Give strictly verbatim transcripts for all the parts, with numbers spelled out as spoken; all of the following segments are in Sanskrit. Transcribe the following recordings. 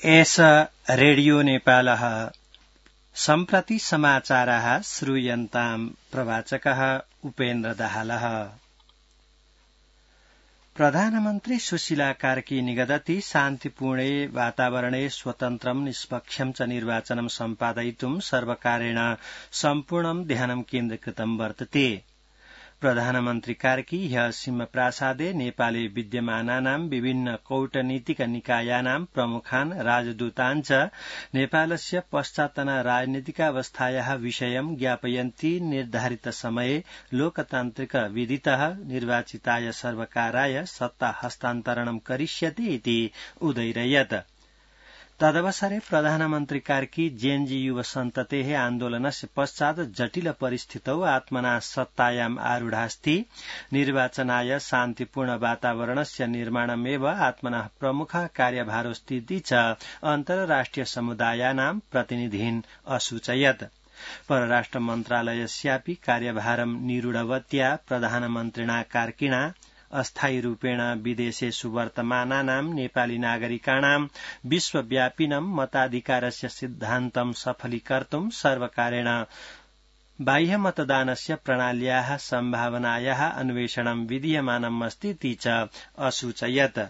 एष रेडियो नेपालः सम्प्रति समाचारः श्रूयन्ताम् प्रवाचकः उपेन्द्र दाहालः। प्रधानमन्त्री सुशीला कार्की निगदति शान्तिपूर्णे वातावरणे स्वतन्त्रं निष्पक्षं च निर्वाचनं सम्पादयितुं सर्वकारेण सम्पूर्णं ध्यानं केन्द्रीकृतं वर्तते। प्रधानमन्त्री कार्की ह्य सिंहप्रासादे नेपाले विद्यमानानां विभिन्न कूटनीतिक निकायानां प्रमुखान् राजदूतान् च नेपालस्य पश्चातना राजनीतिकावस्थायाः विषयं ज्ञापयन्ती निर्धारित समये लोकतान्त्रिक विधितः निर्वाचिताय सर्वकाराय सत्ता हस्तान्तरणं करिष्यति इति उदैरयत्। तदवसरे प्रधानमन्त्री कार्की जेएनजी युव सन्ततेः आन्दोलनस्य पश्चात् जटिल परिस्थितौ आत्मना सत्तायाम् आरूढास्ति। निर्वाचनाय शान्तिपूर्ण वातावरणस्य निर्माणमेव आत्मनः प्रमुखः कार्यभारोस्तीति च अन्तर्राष्ट्रिय समुदायानां प्रतिनिधीन् असूचयत्। परराष्ट्र मन्त्रालयस्यापि कार्यभारं निरूढवत्या प्रधानमन्त्रिणा कार्किणा अस्थायी रूपेण विदेशेषु वर्तमानानां नेपाली नागरिकाणां विश्वव्यापिनं मताधिकारस्य सिद्धान्तं सफलीकर्तुं सर्वकारेण बाह्य मतदानस्य प्रणाल्याः सम्भावनायाः अन्वेषणं विधीयमानम् अस्ति च असूचयत्।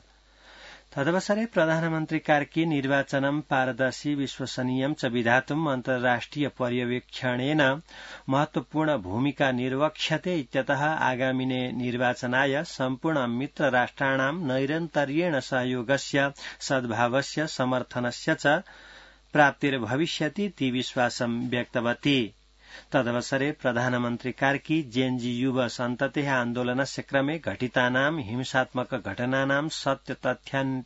तदवसरे प्रधानमन्त्री कार्की निर्वाचनं पारदर्शी विश्वसनीयं च विधातुम् अन्तर्राष्ट्रिय पर्यवेक्षणेन महत्वपूर्ण भूमिका निर्वक्ष्यते इत्यतः आगामिने निर्वाचनाय सम्पूर्ण मित्रराष्ट्राणां नैरन्तर्येण सहयोगस्य सद्भावस्य समर्थनस्य च प्राप्तिर्भविष्यति इति विश्वासं व्यक्तवती। तदवसरे प्रधानमन्त्री कार्की जेएनजी युव सन्ततेः आन्दोलनस्य क्रमे घटितानां हिंसात्मक घटनानां सत्य तथ्यानुसन्धानाय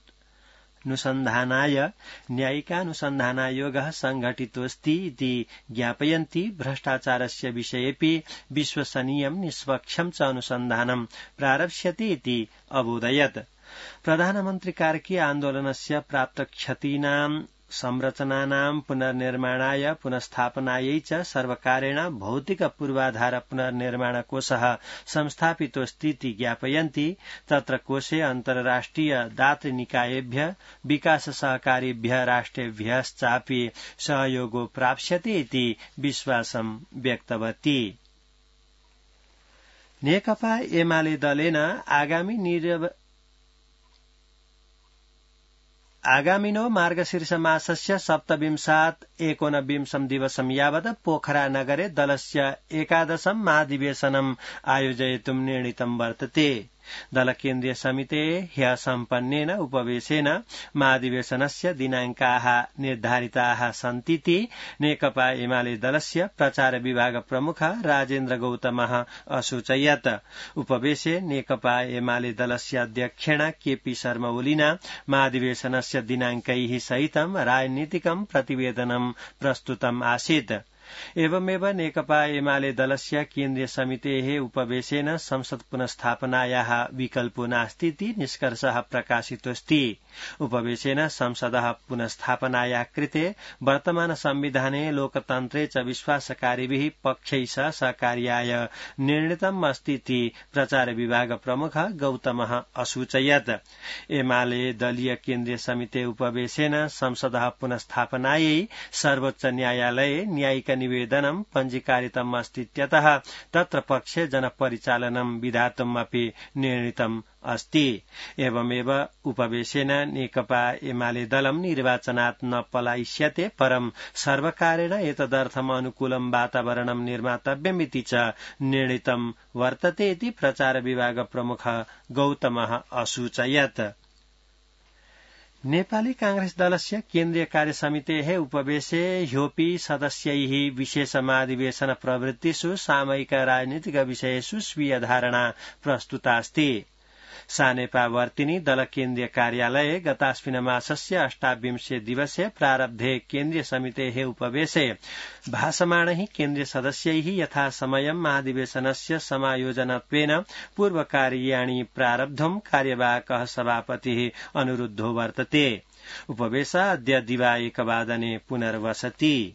न्यायिकानुसन्धानायोगः संघटितोऽस्ति इति ज्ञापयन्ती भ्रष्टाचारस्य विषयेऽपि विश्वसनीयं निष्पक्षं च अनुसन्धानं प्रारप्स्यति इति अबोधयत्। प्रधानमन्त्री कार्की आन्दोलनस्य प्राप्तक्षतीनां संरचनानां पुनर्निर्माणाय पुनस्थापनायै च सर्वकारेण भौतिक पूर्वाधार पुनर्निर्माण कोषः संस्थापितोऽस्तीति ज्ञापयन्ति। तत्र कोषे अन्तर्राष्ट्रिय दातृनिकायेभ्यः विकास सहकारिभ्यः राष्ट्रेभ्यश्चापि सहयोगो प्राप्स्यते इति विश्वासं व्यक्तवती। नेकपा एमाले दलेन आगामी निर्व आगामिनो मार्गशीर्ष मासस्य सप्तविंशात् एकोनविंशं दिवसं यावत् पोखरा नगरे दलस्य एकादशं महाधिवेशनम् आयोजयितुं निर्णीतं वर्तते। दल केन्द्रीय समितेः ह्यः सम्पन्नेन उपवेशेन महाधिवेशनस्य दिनाङ्काः निर्धारिताः सन्तीति नेकपा एमाले दलस्य प्रचार विभाग प्रमुखः राजेन्द्र गौतमः असूचयत्। उपवेशे नेकपा एमाले दलस्य अध्यक्षेण केपी शर्मा ओलिना महाधिवेशनस्य दिनाङ्कैः सहितं राजनीतिकं प्रतिवेदनं प्रस्तुतम् आसीत्। एवमेव नेकपा एमाले दलस्य केन्द्रीय समितेः उपवेशेन संसद पुनस्थापनायाः विकल्पो नास्ति इति निष्कर्षः प्रकाशितोऽस्ति। उपवेशेन संसदः पुनस्थापनायाः कृते वर्तमान संविधाने लोकतन्त्रे च विश्वासकारिभिः पक्षैः सह सहकार्याय निर्णीतम् अस्ति इति प्रचार विभाग प्रमुखः गौतमः असूचयत्। एमाले दलीय केन्द्रीय समिते उपवेशेन संसदः पुनस्थापनायै सर्वोच्च न्यायालये न्यायिक निवेदनं पञ्जीकारितम् अस्तीत्यतः तत्र पक्षे जनपरिचालनं विधातुम् अपि निर्णीतम् अस्ति। एवमेव उपवेशेन नेकपा एमाले दलं निर्वाचनात् न पलायिष्यते परं सर्वकारेण एतदर्थम् अनुकूलं वातावरणं निर्मातव्यमिति च निर्णीतं वर्तते इति प्रचार विभाग प्रमुखः गौतमः असूचयत्। नेपाली कांग्रेस दलस्य केन्द्रीय कार्यसमितेः उपवेशे ह्योपि सदस्यैः विशेष महाधिवेशन प्रवृत्तिषु सामयिक राजनीतिक विषयेषु स्वीय धारणा प्रस्तुतास्ति। सानेपावर्तिनी दल केन्द्रीय कार्यालये गतास्मिन् मासस्य अष्टाविंशे दिवसे प्रारब्धे केन्द्रीय समितेः उपवेशे भाषमाणैः केन्द्रीय सदस्यैः यथा समयं महाधिवेशनस्य समायोजनत्वेन पूर्वकार्याणि प्रारब्धुं कार्यवाहकः सभापतिः अनुरुद्धो वर्तते। उपवेशः अद्य दिवा एकवादने पुनर्वसति।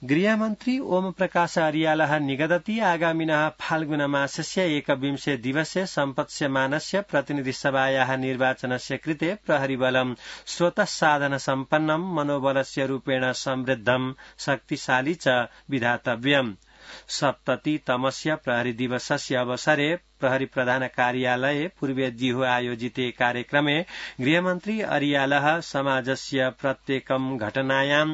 गृहमन्त्री ओम प्रकाश अर्यालः निगदति आगामिनः फाल्गुनमासस्य एकविंशे दिवसे सम्पत्स्यमानस्य प्रतिनिधिसभायाः निर्वाचनस्य कृते प्रहरीबलं स्रोतसाधन सम्पन्नं मनोबलस्य रूपेण समृद्धं शक्तिशाली च विधातव्यम्। सप्ततितमस्य प्रहरी दिवसस्य अवसरे प्रहरी प्रधान कार्यालये पूर्वेद्युः आयोजिते कार्यक्रमे गृहमन्त्री अर्यालः समाजस्य प्रत्येकं घटनायां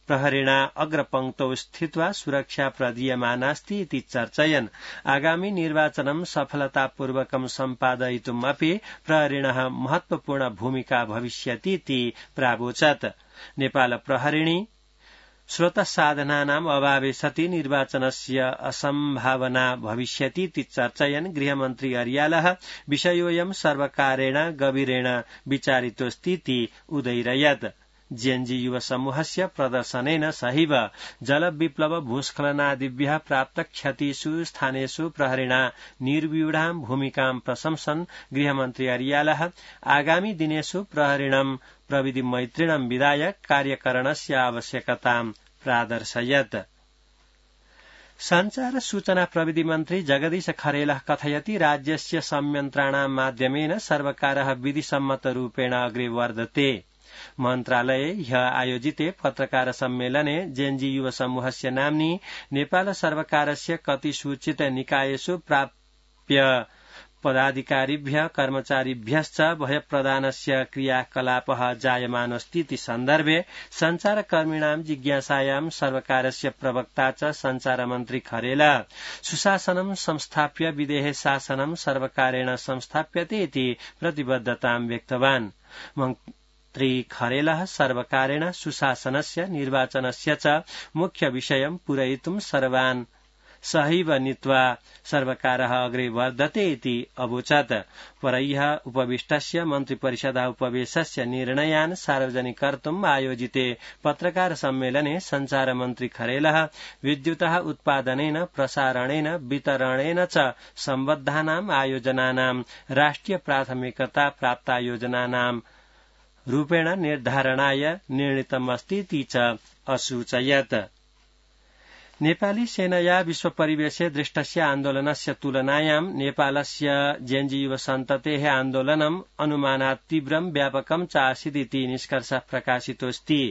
प्रहरिणा अग्रपङ्क्तौ स्थित्वा सुरक्षा प्रदीयमानास्ति इति चर्चयन् आगामि निर्वाचनं सफलतापूर्वकं सम्पादयितुम् अपि प्रहरिणः महत्वपूर्ण भूमिका भविष्यति इति प्रावोचत्। नेपाल प्रहरिणी स्रोतसाधनानाम् अभावे सति निर्वाचनस्य असम्भावना भविष्यति इति चर्चयन् गृहमन्त्री अर्यालः विषयोऽयं सर्वकारेण गभीरेण विचारितोऽस्ति इति उदैरयत्। जेएनजी युव समूहस्य प्रदर्शनेन सहैव जलविप्लव भूस्खलनादिभ्यः प्राप्त क्षतिषु स्थानेषु प्रहरिणा निर्व्यूढां भूमिकां प्रशंसन् गृहमन्त्री अर्यालः आगामि दिनेषु प्रहरिणं प्रविधि मैत्रिणं विधाय कार्यकरणस्य आवश्यकतां प्रादर्शयत्। संचार सूचना प्रविधि मन्त्री जगदीश खरेलः कथयति राज्यस्य संयन्त्राणां माध्यमेन सर्वकारः विधिसम्मतरूपेण अग्रे वर्धते। मन्त्रालये ह्यः आयोजिते पत्रकार सम्मेलने जेएनजी युव समूहस्य नाम्नि नेपाल सर्वकारस्य कति सूचित निकायेषु प्राप्य पदाधिकारिभ्यः कर्मचारिभ्यश्च भयप्रदानस्य क्रियाकलापः जायमानोऽस्ति इति सन्दर्भे संचारकर्मिणां जिज्ञासायां सर्वकारस्य प्रवक्ता च संचारमन्त्री खरेल सुशासनं संस्थाप्य विदेहे शासनं सर्वकारेण संस्थाप्यते इति प्रतिबद्धतां व्यक्तवान्। मन्त्री खरेलः सर्वकारेण सुशासनस्य निर्वाचनस्य च मुख्य विषयं पूरयितुं सर्वान् सहैव नीत्वा सर्वकारः अग्रे वर्धते इति अवोचत्। परह्यः उपविष्टस्य मन्त्रिपरिषदः उपवेशस्य निर्णयान् सार्वजनिकर्तुम् आयोजिते पत्रकार सम्मेलने संचारमन्त्री खरेलः विद्युतः उत्पादनेन प्रसारणेन वितरणेन च सम्बद्धानाम् आयोजनानां राष्ट्रिय प्राथमिकता प्राप्ता योजनानां रूपेण निर्धारणाय निर्णीतमस्ति इति च असूचयत्। नेपाली सेनया विश्व परिवेशे दृष्टस्य आन्दोलनस्य तुलनायां नेपालस्य जेएनजी युव सन्ततेः आन्दोलनम् अनुमानात् तीव्रं व्यापकं च आसीदिति निष्कर्षः प्रकाशितोऽस्ति।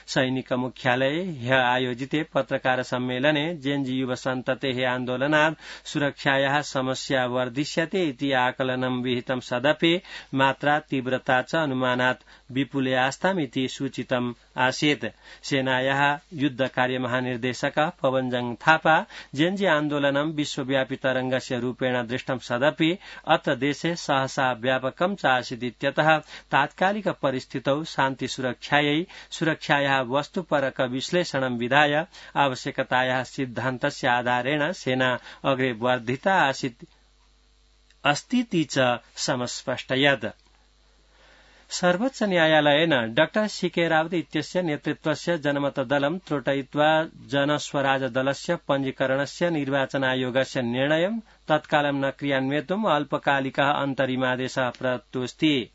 सैनिक मुख्यालये ह्यः आयोजिते पत्रकार सम्मेलने जेएनजी युव सन्ततेः आन्दोलनात् सुरक्षायाः समस्या वर्धिष्यते इति आकलनं विहितं सदपि मात्रा तीव्रता च अनुमानात् विपुले आस्तामिति सूचितम् आसीत्। सेनायाः युद्ध कार्य महानिर्देशकः पवनजंग थापा जेएनजी आन्दोलनं विश्वव्यापी तरंगस्य रूपेण दृष्टं सदपि अत्र देशे सहसा व्यापकं च आसीदित्यतः तात्कालिक परिस्थितौ शान्ति सुरक्षायै सुरक्षायाः वस्तुपरक विश्लेषणं विधाय आवश्यकतायाः सिद्धान्तस्य आधारेण सेना अग्रे वर्धिता आसीत् अस्तीति च समस्पष्टयत्। सर्वोच्च न्यायालयेन डाक्टर सीके रावत इत्यस्य नेतृत्वस्य जनमतदलं त्रोटयित्वा जनस्वराज दलस्य पञ्जीकरणस्य निर्वाचनायोगस्य निर्णयं तत्कालं न क्रियान्वेतुम् अल्पकालिकः अन्तरिमादेशः प्रदत्तोऽस्ति।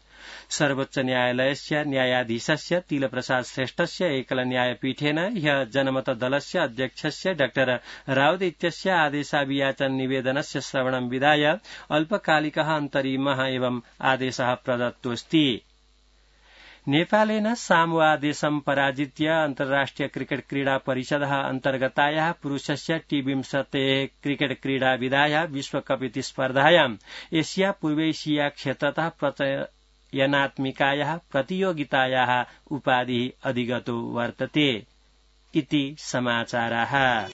सर्वोच्च न्यायालयस्य न्यायाधीशस्य तिलप्रसाद श्रेष्ठस्य एकल न्यायपीठेन ह्यः जनमतदलस्य अध्यक्षस्य डाक्टर रावत इत्यस्य आदेशाभियाचन निवेदनस्य श्रवणं विधाय अल्पकालिकः अन्तरिमः एवं आदेशः प्रदत्तोऽस्ति। नेपालेन सामोआ देशं पराजित्य अन्तर्राष्ट्रिय क्रिकेट क्रीडा परिषदः अन्तर्गतायाः पुरुषस्य टी विंशतेः क्रिकेट क्रीडा विधायाः विश्वकप इति स्पर्धायाम् एशिया पूर्वैशिया क्षेत्रतः प्रचयनात्मिकायाः प्रतियोगितायाः उपाधिः अधिगतो वर्तते इति समाचाराः।